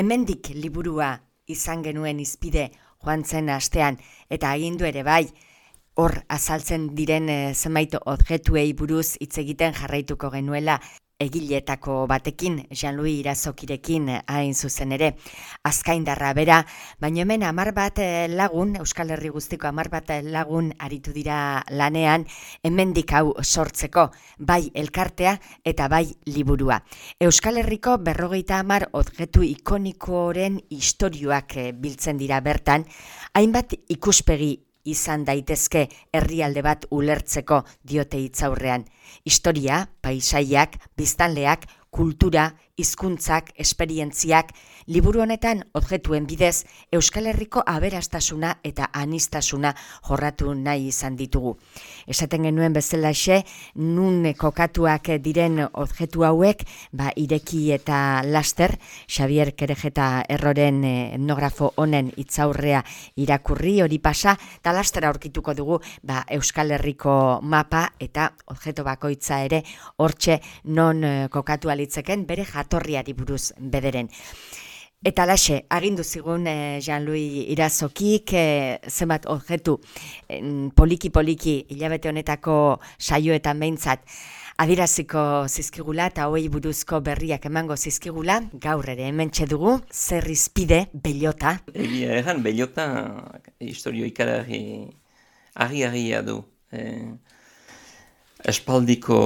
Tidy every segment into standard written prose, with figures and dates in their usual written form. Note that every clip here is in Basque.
Hemendik liburua izan genuen izpide joan zen astean, eta agindu ere bai, hor azaltzen diren zenbait objektuei buruz hitz egiten jarraituko genuela egiletako batekin, Jean-Louis Irazokirekin hain zuzen ere, azkaindarra bera, baina hemen 10 bat lagun, Euskal Herri guztiko 10 bat lagun aritu dira lanean, hemendik hau sortzeko, bai elkartea eta bai liburua. Euskal Herriko 50 objektu ikonikoren istorioak biltzen dira bertan, hainbat ikuspegi izan daitezke herrialde bat ulertzeko diote hitzaurrean. Historia, paisaiak, biztanleak, kultura, hizkuntzak, esperientziak, liburu honetan objektuen bidez Euskal Herriko aberastasuna eta aniztasuna jorratu nahi izan ditugu. Esaten genuen bezalaxe, nun kokatuak diren objektu hauek, ireki eta laster, Xabier Kerejeta Erroren etnografo honen hitzaurrea irakurri hori pasa, eta laster aurkituko dugu Euskal Herriko mapa eta objektu bakoitza ere hortxe non kokatu alitzeken bere jatorriari buruz bederen. Eta laxe, agindu zigun Jean-Louis Irazokik zenbat objektu poliki-poliki hilabete honetako saioetan behintzat adieraziko zizkigula eta hauei buruzko berriak emango zizkigula, gaur ere hementxe dugu, zer izpide Bellota. Egia egan, Bellota historio ikaragarri argi-argia du. Espaldiko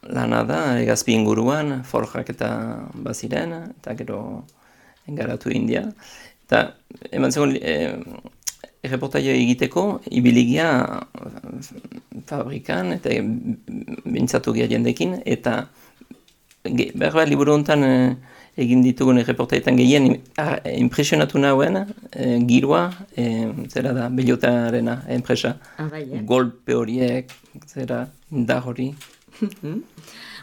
lana da, Egazpi inguruan, forjak eta baziren, eta gero engaratu India. Eta eman zegoen erreportaia egiteko, ibiligia fabrikan, eta bintzatu gira jendekin, eta behar liburu honetan egin ditugun erreportaietan gehien impresionatu nahuen, giroa, zera da, Bellotarena enpresa. Golpe horiek, zera, indar hori.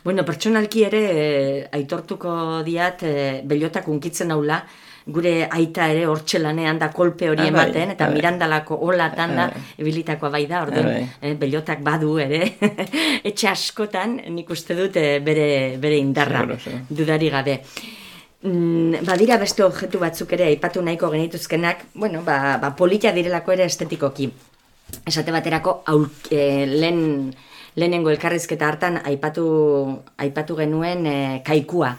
Bueno, pertsonalki ere aitortuko diat Bellotak unkitzen haula, gure aita ere hortxe lanean da kolpe hori ematen, eta Mirandalako olatan da ebilitakoa bai da, orduan Bellotak badu ere, etxe askotan nik uste dut bere indarra, dudari gabe. Badira beste objektu batzuk ere aipatu nahiko genituzkenak, bueno, polita direlako ere estetikoki. Esate baterako lehenengo elkarrizketa hartan aipatu genuen kaikua.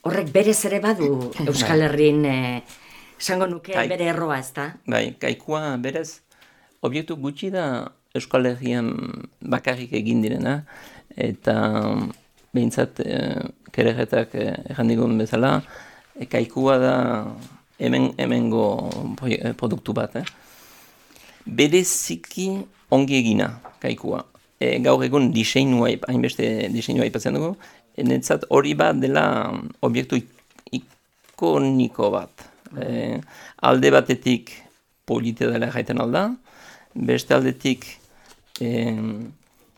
Horrek berez ere badu Euskal Herrin esango nuke bere erroa, ez da? Bai, kaikua berez objektu gutxi da Euskal Herrian bakarrik egin direna, eta behintzat Kerejetak erran digun bezala, kaikua da hemengo produktu bat. Bereziki ongi egina kaikua. Gaur egun hainbeste diseinua ipatzen dugu, netzat hori bat dela objektu ikoniko bat. Alde batetik polite dela jaiten alda, beste aldetik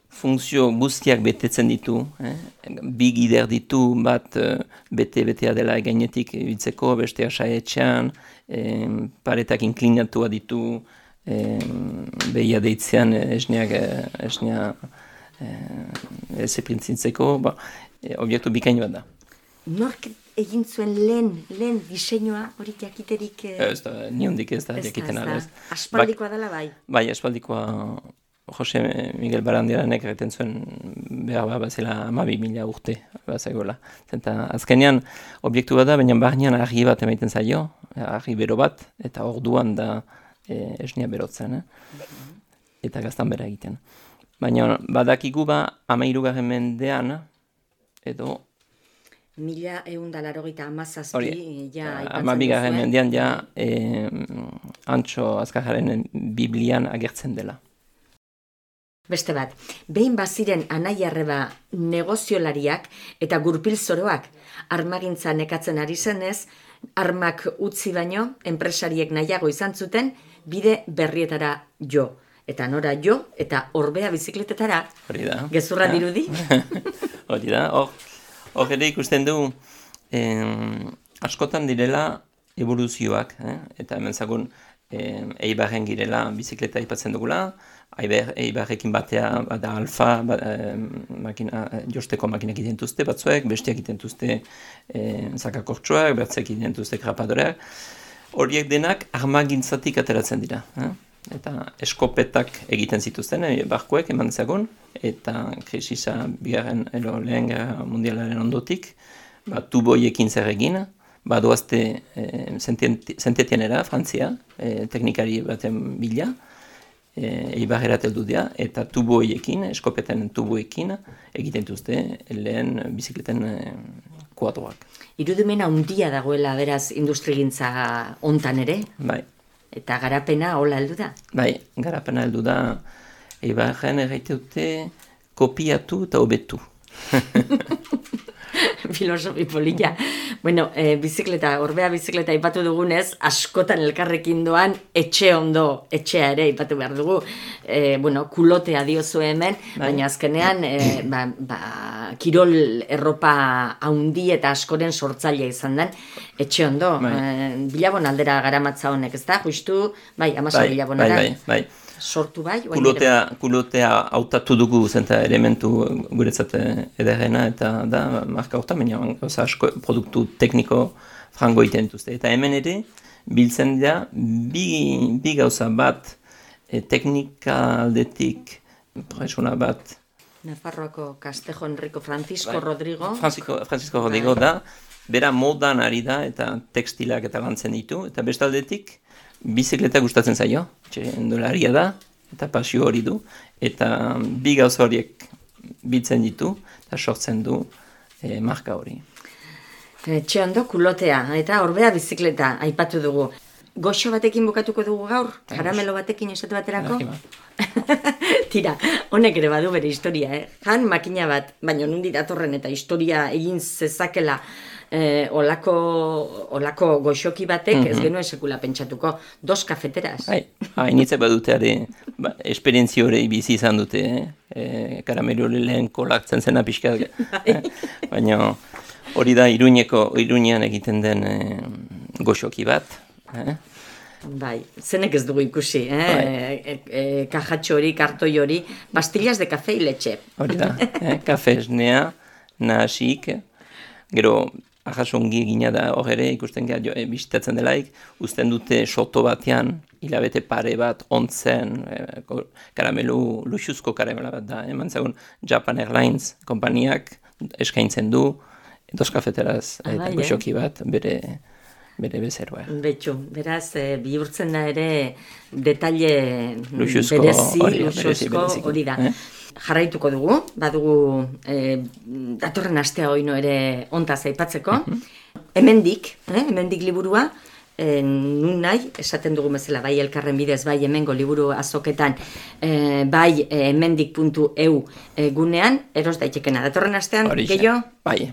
funtzio guztiak betetzen ditu, bi gider ditu, bat betea dela gainetik ibitzeko, bestea saetxean, paretak inklinatua ditu, behia deitzean esnea ezepintzintzeko, objektu bikain bat da. Nork egin zuen lehen diseinua hori jakiterik? Ez da, niondik ez da jakiten ala. Aspaldikoa dela bai? Bai, aspaldikoa Jose Miguel Barandiaranek egiten zuen behar zela 12.000 urte bazagoela. Zenta azkenean objektu bat da, baina barnean argi bat emaiten zaio, argi bero bat, eta orduan da esnea berotzen, eta gaztan bera egiten. Baina badakigu 13. mendean, edo 1187 ja aipatzen 12. mendean ja Antso Azkarraren Biblian agertzen dela. Beste bat, behin baziren anai-arreba negoziolariak eta gurpil zoroak armagintza nekatzen ari zenez, armak utzi baino, enpresariek nahiago izan zuten, bide berrietara jo. Eta nora jo, eta orbea bizikletetara. Hori da. Gezurra dirudi. Hori da. Hor ere ikusten du, askotan direla evoluzioak, eta hemen zagun Eibarren girela bizikleta aipatzen dugula, Eibarrekin batea bada alfa, josteko makinak egiten duzte batzuek, besteak egiten duzte zakakortxoak, bertzek egiten duzte krapadoreak. Horiek denak armagintzatik ateratzen dira. Eta eskopetak egiten zituzten, barkoek eman zagon, eta krisisa bigarren lehen gerra mundialaren ondotik, tuboiekin zer egin, doazte Saint-Étiennera, Frantzia, teknikari baten bila, Eibarrerat heldu dira, eta tuboiekin, eskopeten tuboekin, egiten duzte lehen bizikleten kuadroak. Irudimena handia dagoela, beraz, industrigintza hontan ere? Bai. Eta garapena hola heldu da? Bai, garapena heldu da, Eibarren erraite dute kopiatu eta hobetu. Filosofi polita. Bueno, orbea bizikleta ipatu dugunez, askotan elkarrekin doan etxe ondo, etxea ere ipatu behar dugu. Kulotea diozu hemen, baina azkenean kirol erropa haundi eta askoren sortzailea izan den, etxe ondo. Bilabon aldera garamatza honek, ez da? Justu, amaso bilabonara. Bai. Sortu bai? Kulotea hautatu dugu zenta elementu guretzat ederrena eta da marka horta, baina asko produktu tekniko frango egiten dituzte. Eta hemen ere, biltzen dira bi gauza bat teknika aldetik presuna bat. Nafarroako Castejo Enrico Francisco Rodrigo. Francisco Rodrigo da, bera modan ari da eta tekstilak eta lantzen ditu, eta bestaldetik bizikleta gustatzen zaio, txendolaria da, eta pasio hori du, eta bi gauza horiek biltzen ditu, eta sortzen du marka hori. Txondo kulotea, eta orbea bizikleta aipatu dugu. Goxo batekin bukatuko dugu gaur? Karamelo batekin esate baterako? Tira, honek ere badu bere historia, Jan makina bat, baina nundi datorren eta historia egin zezakela olako goxoki batek, ez genuen sekula pentsatuko, 2 kafeteras. Hainitze baduteare, esperientzio hori bizi izan dute, karamelo lehen kolaktzen zena pixka, baina hori da Iruñean egiten den goxoki bat. Bai, zenek ez dugu ikusi, kajatxo hori, kartoi hori, pastillas de kafe iletxe. Hori da, kafe esnea, nahasik, gero ahasongi egina da hor ere, ikusten gara bisitatzen delaik, uzten dute soto batean, hilabete pare bat, ontzen, karamelu, luxuzko karamela bat da, eman zagun Japan Airlines kompaniak eskaintzen du, 2 kafeteraz eta goxoki bat, bere bezeroa. Betxu, beraz, bihurtzen da ere detalle luxuzko hori da. Jarraituko dugu, badugu datorren astea oino ere ontaz aipatzeko. Hemendik liburua, nun nahi, esaten dugu bezala, bai elkarren bidez, bai hemengo liburu azoketan, bai hemendik.eu gunean, eros daitekena. Datorren astean, gehiago? Bai,